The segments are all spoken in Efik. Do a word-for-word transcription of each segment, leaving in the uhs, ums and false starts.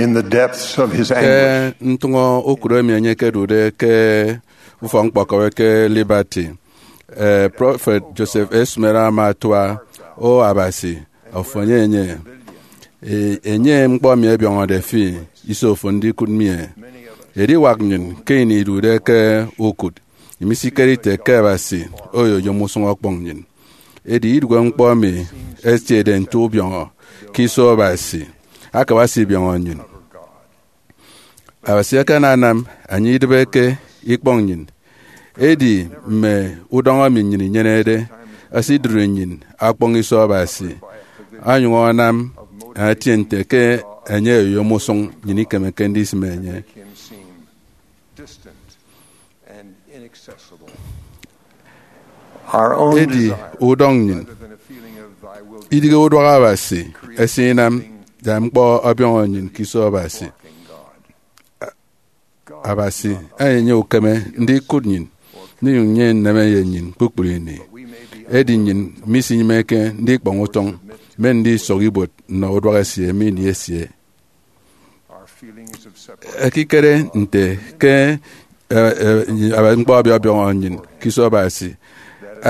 in the depths of his anguish. Ke ntụñọ okụre emi enye ekedude ke ufọk-ñkpọkọbi ke Liberty, eh, Prọfet Joseph A. Smith ama atua, "O Abasi, ofo enye enye. E, enye ñkpọ mi ẹbiọñọde fi, iso ofo ndikụt mi e." Ediwak nnyịn ke ini idude ke ukụt, imisikere ite ke Abasi oyoyom usụñ ọkpọñ nnyịn. Edi idụhe ñkpọ emi ẹtiede nte ubiọñọ ke iso Abasi, akabasi ibiọñọ nnyịn. Abasi akananam enye idịbeke ikpọñ nnyịn. Edi mme udọñ emi nnyịn inyenede ẹsidụri nnyịn akpọñ iso Abasi, onyụñ anam etie nte ke enye oyom usụñ nnyịn ikemeke ndisịm enye. Our own Edi desire, udọñ nnyịn, rather than a feeling of "Thy will be idịghe uduak Abasi, esinam da ñkpọ ọbiọñọ nnyịn ke iso Abasi." Abasi enye ukeme ndikụt nnyịn, ndinyụñ nnyịn nneme ye nnyịn kpukpru ini. Edi nnyịn misinyịmeke ndikpọñ utọñ, mme ndisọk ibuot nnọ uduak esie mme ini esie. Ekikere nte ke, eh, eh, ñkpọ ọbiọbiọñọ nnyịn ke iso Abasi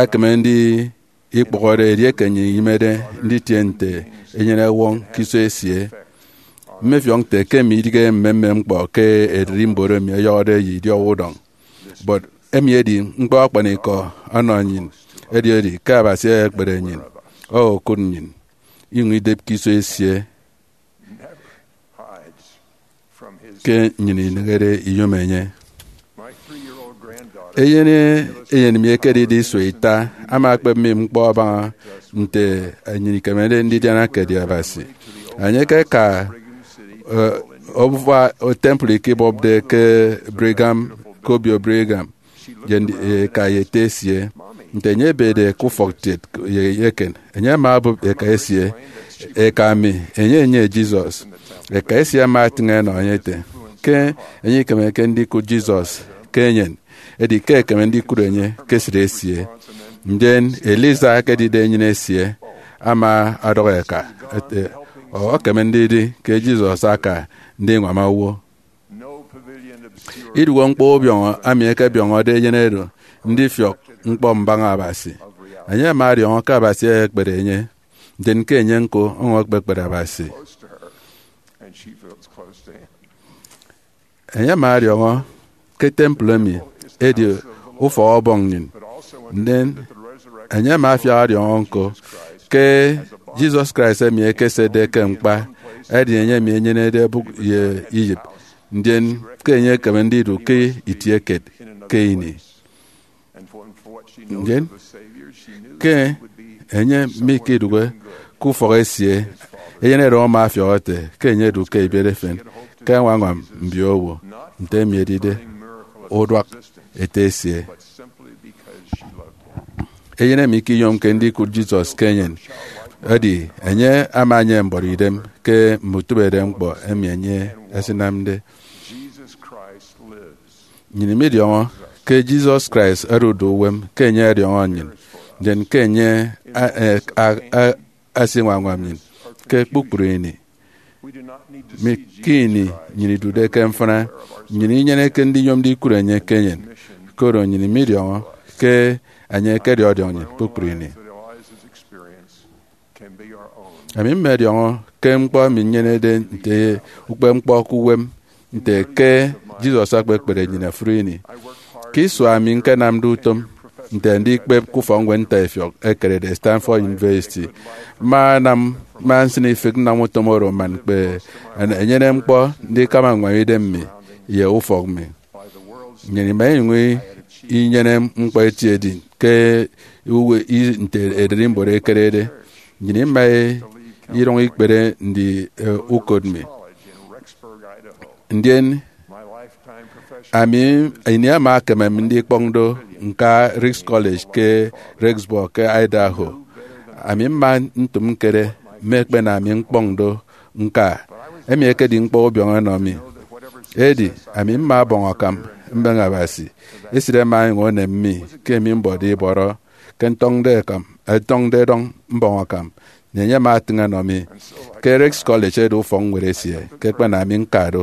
ekeme ndi ikpọhọde edieke nnyịn inyịmede nditie nte enyene-ẹwọñ ke iso esie. Mmefiọk nte ke emi idịghe mmemmem ñkpọ ke ererimbot emi ẹyọhọde ye idiọk udọñ. But emi edi ñkpọ akpanikọ ọnọ nnyịn, edi edi ke Abasi ekpere nnyịn, okụt nnyịn, inyụñ idep ke iso esie ke nnyịn inehede iyom enye. Eyen eyen mi ekedide isua ita ama akpep mi ñkpọ abaña nte nnyịn ikemede ndidiana ke edi Abasi. Enye ekeka, eh, obufa temple ikibọpde ke Brigham, ke obio Brigham, ye ndi-, eka ye ete esie. Nte enye ebede ke ufọk tiet ye eken, enye ama obụp eka esie, "Eka mi, enye enye Jesus." Eka esie ama atịñ enọ enye ete ke enye ikemeke ndikụt Jesus ke enyen, edi ke ekeme ndikụt enye ke esịt esie. Ndien Eliza, ekedide enyịn esie, ama ọdọhọ eka ete, "O, ekeme ndidi ke Jesus aka ndiñwam owo." Idụhe ñkpọ ubiọñọ emi ẹkebiọñọde eyen oro ndifiọk ñkpọ mbaña Abasi. Enye ama ọdiọñọ ke Abasi ekpede enye, ndien ke enye ñko ọñwọñọ ekpekpere Abasi. Enye ama ọdiọñọ ke temple emi edi ufọk Ọbọñ nnyịn. Ndien enye ama afiak ọdiọñọ ñko ke Jesus Christ emi ekesetde ke ñkpa edi enye emi enyenede ẹbụk ye iyịp, ndien ke enye ekeme ndidu ke itie kiet ke ini. Ndien ke enye mikidụhe ke ufọk esie, eyen oro ama afiọk ete ke enye edu ke ebiet efen ke añwañwam mbiowo, nte emi edide uduak ete esie. Eyen emi ikiyomke ndikụt Jesus ke enyen, edi enye ama enyene mbọrọidem ke mme utịbeidem ñkpọ emi enye esinamde. Nnyịn midiọñọ ke Jesus Christ odude uwem, ke enye ọdiọñọ nnyịn, ndien ke enye a-, a-, a-, a-, asiñwañwam nnyịn ke kpukpru ini. Mi, ke ini nnyịn idude ke mfịna, nnyịn inyeneke ndiyom ndikụt enye ke enyen, koro nnyịn midiọñọ ke enye ekedi ọdiọñ nnyịn kpukpru ini. Ami mmediọñọ ke ñkpọ emi nnyenede nte ukpepñkpọ ke uwem, nte ke Jesus ekpekpere nnyịn ofụri ini. Ke isua emi ñkenamde utom nte ndikpep ke ufọkñwed ntaifiọk ekerede Stanford University, mma anam, mma nsịn ifịk nnam utom oro man ñkpe enyene ñkpọ ndikama ññwam idem mi ye ufọk mi. Nnyịn ima inyụñ inyene ñkpọ eti edi ke uwe i-, nte ererimbot ekerede. Nnyịn ima irọñ ikpere ndi, eh, ukot mi. Ndien ami, ini ama ekemem ndikpọñ do ñka Ricks College ke Rexburg ke Idaho. Ami mma ntụm ñkere mme ekpena mi ñkpọñ do ñka. Emi ekedi ñkpọ ubiọñọ ẹnọ mi. Edi ami mma ọbọñ akam mbeñe Abasi. Esịt ẹma ẹnyụñ ẹnem mi ke emi mbọde ibọrọ ke ntọñde ẹkam, ẹtọñde ẹdọñ mbọñ akam. enye ama atịñ ọnọ mi ke Ricks College edi ufọkñwed esie ke ẹkpana ami ñka do.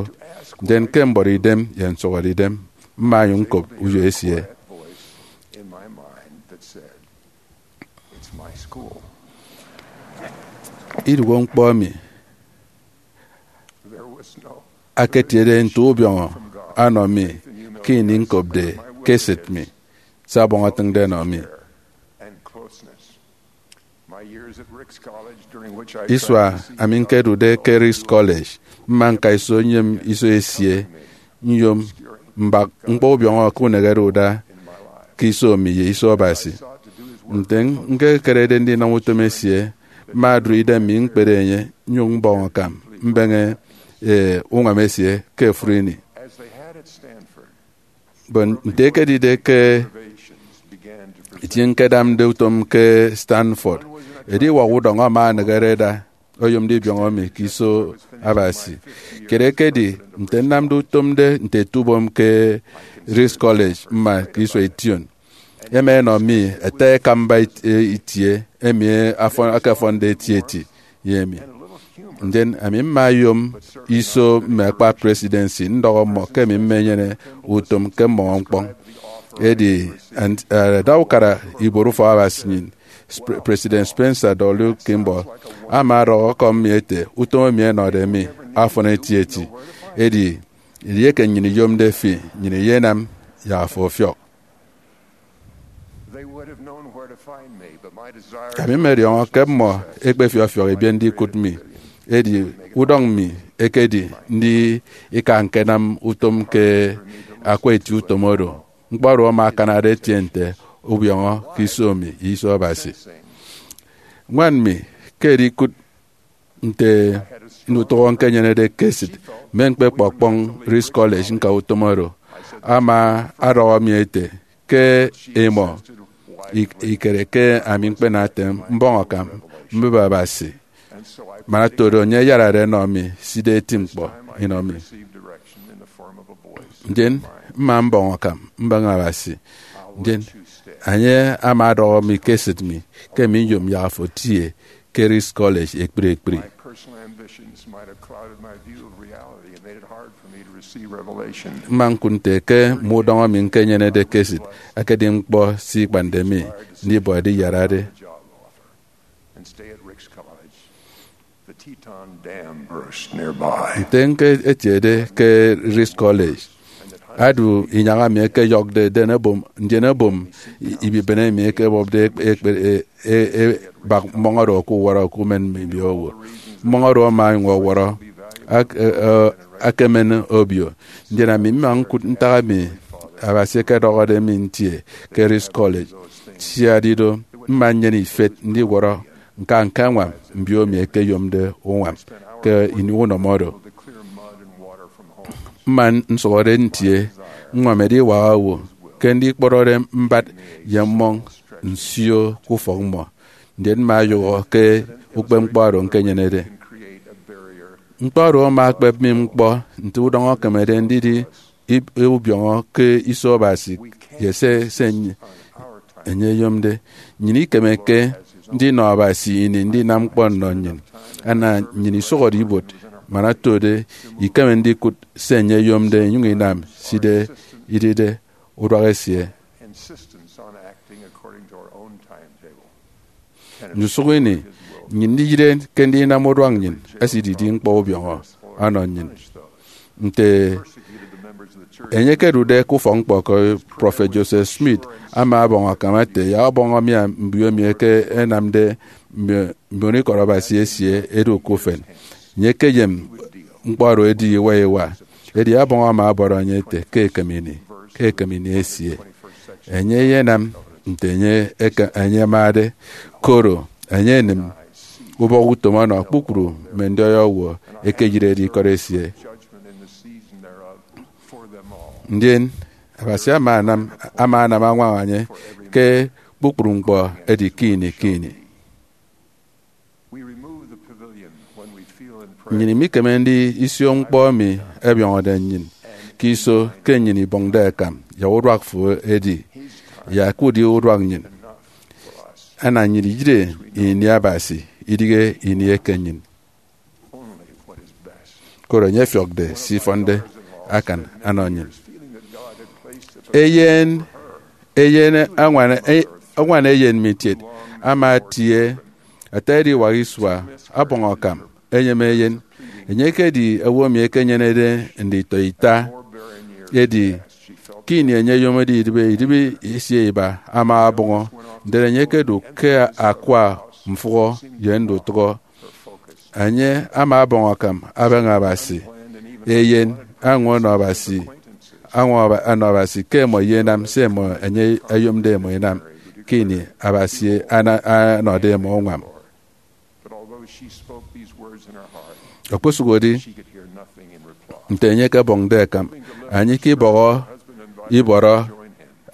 Ndien ke mbọrọ idem ye nsụhọde idem, mma nyụñ ñkop uyo esie. Iduoho ñkpọ emi aketiede nte ubiọñọ ọnọ mi ke ini ñkopde ke esịt mi se Abọñ etịñde ọnọ mi. Isua ami ñkedude ke Ricks College, mma ñka iso nyem iso esie, nyom mbak ñkpọ ubiọñọ ke uneghere uda ke iso mi ye iso Abasi. Nte ñkekerede ndinam utom esie, mma odụri idem mi ñkpere enye, nyụñ mbọñ akam mbeñe, e, uñwam esie ke ofụri ini. But nte ekedide ke itie ñkedamde utom ke Stanford, ediwak udọñọ ama aneghere ada oyomde ibiọñọ mi ke iso Abasi. Kiet ekedi nte nnamde utom nde nte etubom ke Ricks College mma ke isua ition. Ẹma ẹnọ mi ẹta ekamba it-, e, itie emi afọn-, akafọnde etieti ye emi. Ndien ami mma nyom iso mme akpa presidency ndọhọ mmọ ke ami mmenyene utom ke mmọñọ ñkpọñ. Edi, and, eh, ẹda ukara ibuot ufọk Abasi nnyịn, Sp-, President Spencer W. Kimball ama ọdọhọ ọkọm mi ete, utom emi ẹnọde mi afọn etieti. Edi, edieke nnyịn iyomde fi, nnyịn iyenam yak afo ọfiọk. Ami mmediọñọ ke mmọ ẹkpefiọfiọk ẹbiet ndikụt mi, edi udọñ mi ekedi ndika ñkenam utom ke akwa eti utom oro. Ñkpọ oro ama akanade etie nte ubiọñọ ke iso mi ye iso Abasi. Ñwan mi ke edikụt nte ndutụhọ ñkenyenede ke esịt mme ñkpekpe ọkpọñ Ricks College ñka utom oro, ama ọdọhọ mi ete ke imọ ik-, ikere ke ami ñkpena ete mbọñ akam mbịbe Abasi. Man oto do, enye ayarade ọnọ mi sida eti ñkpọ inọ mi. Ndien mma mbọñ akam mbeñe Abasi. Ndien enye ama ọdọhọ mi ke esịt mi ke mi nyom yak afo tie ke Ricks College ekpri ekpri. Mma ñkụt nte ke mme udọñọ mi ñkenyenede ke esịt akedi ñkpọ se ikpande mi ndibọ ediyarade. Nte ñketiede ke Ricks College, adu inyañ emi ẹkeyọkde den ebom, ndien ebom i-, ibibene emi ẹkebọpde ekpe-, ekpe-, e-, e-, ebak mmọñ oro ke uwọrọ ke umen mbiowo. Mmọñ oro ama ọnyụñ ọwọrọ ak-, e-, e-, akemen obio. Ndien ami mma ñkụt ntak emi Abasi ekedọhọde mi ntie ke Ricks College. Siari do, mma nnyene ifet ndiwọrọ ñka ñkañwam mbio emi ẹkeyomde uñwam ke ini unọmọ oro. Mma nsụhọde ntie ññwam ediwak owo ke ndikpọrọde mbat ye mmọñ nsio ke ufọk mmọ, ndien mma nyụhọ ke ukpepñkpọ oro ñkenyenede. Ñkpọ oro ama ekpep mi ñkpọ nte udọñọ ekemede ndidi ib-, ubiọñọ ke iso Abasi ye se, se enye, enye eyomde. Nnyịn ikemeke ndinọ Abasi ini ndinam ñkpọ nnọ nnyịn. Ana nnyịn isụhọde ibuot, man otode ikeme ndikụt se enye eyomde inyụñ inam sida idide uduak esie. Ndusụk ini, nnyịn ndiyịre ke ndinam uduak nnyịn esididi ñkpọ ubiọñọ ọnọ nnyịn. Nte enye ekedude ke ufọk-ñkpọ ke Prọfet Joseph Smith ama ọbọñ akam ete, yak ọbọñ emi mbio emi eke enamde mbio-, mbionikọt Abasi esie edu ke ufen. Enye ekeyem ñkpọ oro edi iwa iwa. Edi ọbọñ ama ọbọrọ enye ete ke ekem ini, ke ekem ini esie, enye eyenam nte enye eke-, enye amade, koro enye enịm ubọhọ utom ọnọ kpukpru mme ndiọi owo ekeyirede ikọt esie. Ndien Abasi ama anam, ama anam añwaña enye ke kpukpru ñkpọ edi ke ini ke ini. Nnyịn imikeme ndisio ñkpọ emi ẹbiọñọde nnyịn ke iso ke nnyịn ibọñde akam, yak uduak fo edi, yak udi uduak nnyịn. Ana nnyịn iyịre ini Abasi idighe ini eke nnyịn, koro enye ọfiọkde se ifọnde akan anọ nnyịn. Eyen eyen añwan, e- añwan eyen mi kiet ama atie ata ediwak isua, ọbọñ akam, enyịme eyen. Enye ekedi owo emi ekenyenede nditọ ita, edi ke ini enye oyomode idịbi, idịbi esie iba ama ọbọñọ. Ndien enye ekedu ke akwa mfụhọ ye ndutụhọ. Enye ama ọbọñ akam abaña Abasi, eyen añwa ọnọ Abasi, añwa ọba- ọnọ Abasi ke ẹmọ iyenam se ẹmọ enye oyomde ẹmọ ẹnam ke ini Abasi ana- anọde ẹmọ uñwam. But although she spoke these words in her heart, okposụkedi she could hear nothing in reply. Nte enye ekebọñde akam, enye ikebọhọ ibọrọ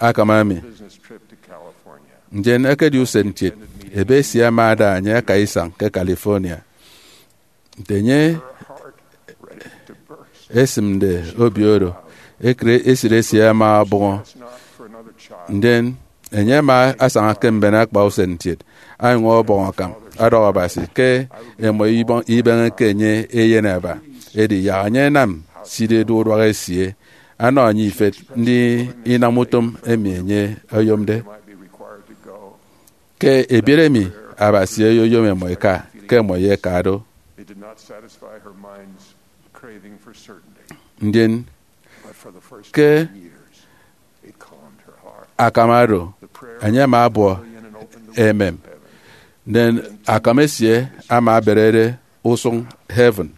akam emi. Business trip to California. Ndien ekedi usen kiet, ebe esie ama ada enye aka isañ ke California. Nte enye esịmde obio oro, ekere esịt esie ama ọbọñọ. Ndien enye ama asaña ke mben akpa usen kiet, anyụñ ọbọñ akam ọdọhọ Abasi ke ẹmọ ibọ- ibeñeke enye eyen aba. Edi yak enye anam se ididu uduak esie, anọ enye ifet ndi inam utom emi enye oyomde. Ke ebiet emi Abasi oyoyom ẹmọ ẹka, ke ẹmọ ẹyeka do. It did not satisfy her mind's craving for certainty, ndien but for the first ke ten years, it calmed her heart. Akam oro, enye ama abuọ emem. Ndien akam esie ama aberede usụñ heaven.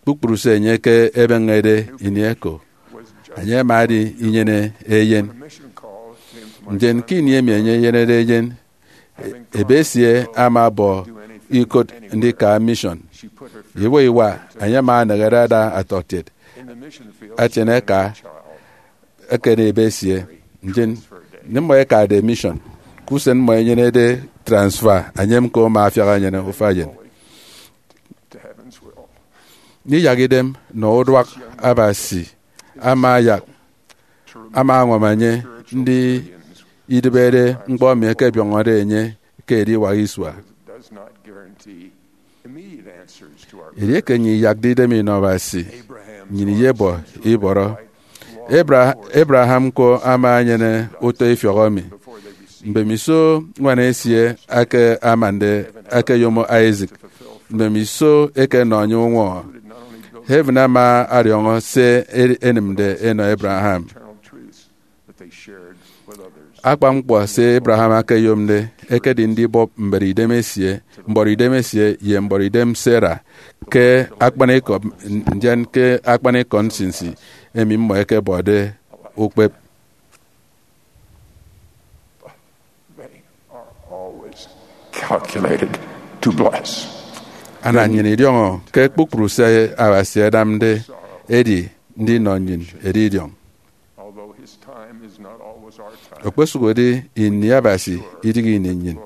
Kpukpru se enye ke ebeñede ini eko, enye ama adi inyene eyen. Ndien ke ini emi enye enyenede eyen, ebe esie ama ọbọ ikot ndika mission. Iwa iwa, enye ama aneghere ada ọtọkiet atiene eka eken ebe esie. Ndien mmọ ẹkade mission, ke usen mmọ ẹnyenede transfer, enye ñko ama afiak enyene ufaeyen. Ndiyak idem nnọ uduak Abasi ama ayak, ama añwam enye ndi idịbede ñkpọ emi ẹkebiọñọde enye ke ediwak isua. Edieke nnyịn iyakde idem inọ Abasi, nnyịn iyebọ ibọrọ. Abra- Abraham ñko ama enyene utọ ifiọk emi. Mbemiso ñwan esie eke amande ekeyom Isaac, mbemiso eke enọ enye uñwọñọ, heaven ama ọdiọñọ se e- enịmde enọ Abraham. Akpan ñkpọ se Abraham ekeyomde ekedi ndibọp mbọrọidem esie, mbọrọidem esie ye mbọrọidem Sarah ke akpanikọ, ndien ke akpanikọ nsinsi emi mmọ ẹkebọde ukpep. They are always calculated to bless. Ana nnyịn idiọñọ ke kpukpru se Abasi anamde edi ndinọ nnyịn edidiọñ. Although his time is not always our time, okposụkedi ini Abasi idighi ini nnyịn,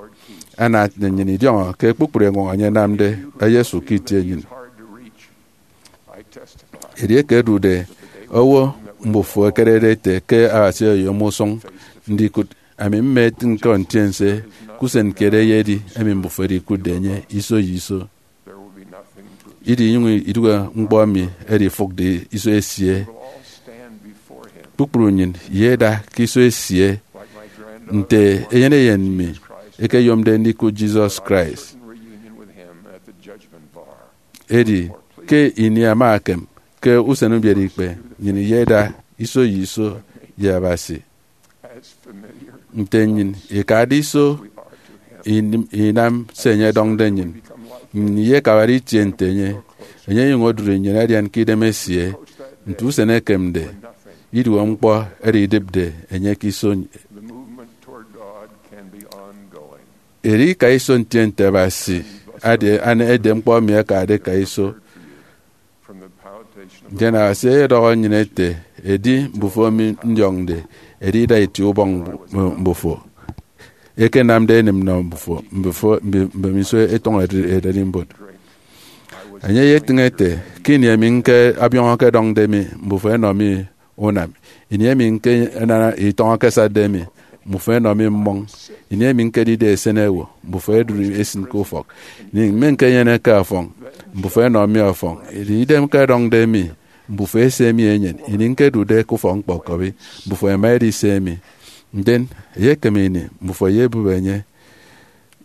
ana nnyịn idiọñọ ke kpukpru eñwọñọ enye anamde eyesu ke itie nnyịn. Hard to reach. Edieke ẹdude owo mbufo ẹkerede ẹte ke Abasi oyom usụñ ndikụt, ami mma etịñ ke ntiense ke usen kiet eyedi emi mbufo ẹdikụtde enye iso ye iso. Idinyụñ idụhe ñkpọ emi ẹdifụkde iso esie. Kpukpru nnyịn iyeda ke iso esie nte eyen eyen mi ekeyomde ndikụt Jesus Christ. Edi ke ini ama ekem ke usen ubiereikpe, nnyịn iyeda iso ye iso ye Abasi. Nte nnyịn ikade iso inam se enye ọdọñde nnyịn, nnyịn iyekabade itie nte enye. Enye enyụñ odụri nnyịn adian ke idem esie. Nte usen ekemde, iduhe ñkpọ oro idịpde enye ke iso. Edi ika iso ntiense Abasi edi edem ñkpọ emi ẹkade ẹka iso. Ndien Abasi ọyọdọhọ nnyịn ete, edi mbufo emi ndiọñde, edi ida itie ubọñ mbufo, ekenamde enịm nnọ mbufo, mbufo, mbe- mbemiso etọñọ ede- ederimbot. Enye eyetịñ ete, ke ini emi ñke abiọñọ ke ẹdọñde mi, mbufo ẹnọ mi unam. Ini emi ñke ẹnana itọñọ ke ẹsatde mi, mbufo ẹnọ mi mmọñ. Ini emi ñkedide esen owo, mbufo ẹdụri ẹsịn ke ufọk. Ini emi ñkenyeneke ọfọñ, mbufo ẹnọ mi ọfọñ. Edi idem ke ẹdọñde mi, mbufo ẹse mi eñwen. Ini ñkedude ke ufọk-ñkpọkọbi, mbufo ẹma ẹdi se mi. Ndien eyekem ini mbufo ẹyebụp enye.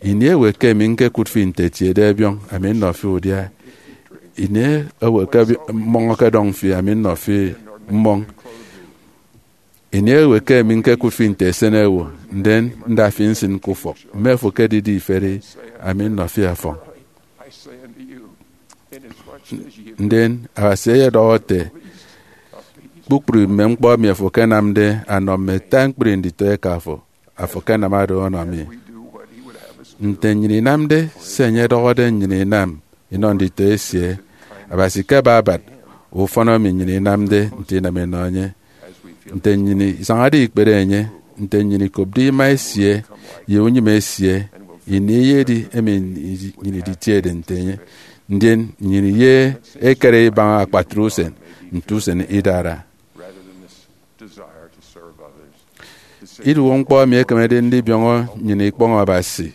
Ini ewe ke emi ñkekụt fi nte etiede ẹbiọñ, ami nnọ fi udia? Ini ewe ke bi- mmọñ ọkọdọñ fi, ami nnọ fi mmọñ? Ini ewe ke emi ñkekụt fi nte esen owo, ndien nda fi nsịn ke ufọk, mme fo ke edide iferi, ami nnọ fi ọfọñ? Ndien Abasi eyedọhọ ete, kpukpru mme ñkpọ emi afo akanamde anọ mme ata ñkpri nditọeka fo, afo akanam oro ọnọ mi. Nte nnyịn inamde se enye ọdọhọde nnyịn inam inọ nditọ esie, Abasi ke ababat ufọn emi nnyịn inamde nte inam inọ enye. Nte nnyịn isañade ikpere enye, nte nnyịn ikopde ima esie ye unyịme esie, ini eyedi emi nnyịn iditiede nte enye, ndien nnyịn ye ekere ibaña akpatre usen nte usen idara. Iduoho ñkpọ emi ekemede ndibiọñọ nnyịn ikpọñ Abasi,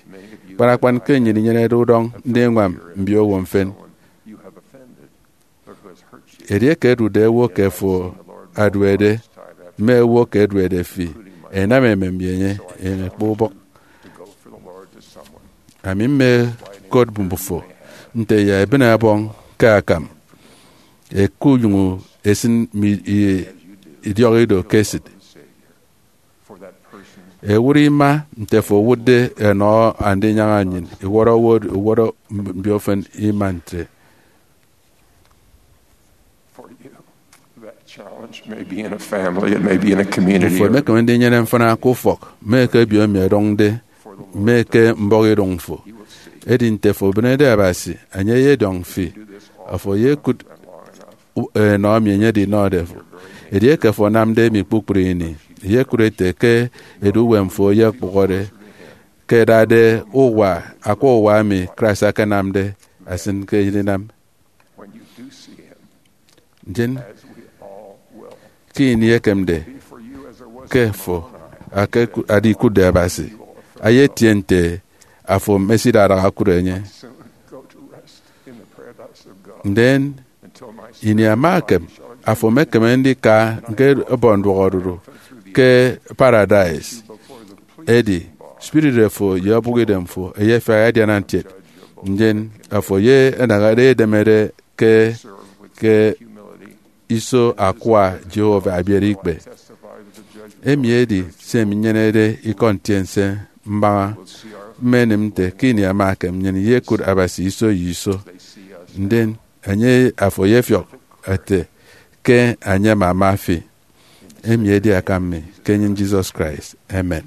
kpan akpan ke nnyịn inyenede udọñ ndiñwam mbiowo mfịn. Edieke ẹdude owo ke fo aduede, mme owo ke ẹduede fi, ẹnam emem ye enye, enye ekpe ubọk. Ami mmekot mbufo nte ya ebịne ọbọñ ke akam, ẹkunyụñ ẹsịn mme i- idiọk ido ke esịt. Ẹwụt ima nte fo owụtde ẹnọ Andinyaña nnyịn, iwọrọ owo, iwọrọ mbiofen ima ntre. Mbufo emekeme ndinyene mfịna ke ufọk, mme ke ebiomi ẹdọñde, mme ke mbọhọidụñ fo. Edi nte fo obịnede Abasi, enye eyediọñ fi. Afo eyekụt u- enọ emi enye edinọde fo. Edieke fo anamde emi kpukpru ini, eyekụt ete ke edu uwem fo eyekpụhọde, ke ẹdade uwa akwa uwa emi Christ akanamde asịn ke edinam. Ndien ke ini ekemde ke fo ake- ada ikụtde Abasi, eyetie nte afo mesidadaha okụt enye. Ndien ini ama ekem, afo emekeme ndika ñke ẹbọ nduọk odudu ke Paradise. Edi spirit fo ye obụkidem fo eyefiak ẹdiana ntiet. Ndien afo ye ẹnahade edemede ke ke iso akwa Jehovah abiere ikpe. Emi edi se minyenede ikọ ntiense mbaña. Mmenịm nte ke ini ama ekem nnyịn iyekụt Abasi iso ye iso, ndien enye afo eyefiọk ete ke enye ama ama fi. Emi edi akam mi ke enyịn Jesus Christ. Amen.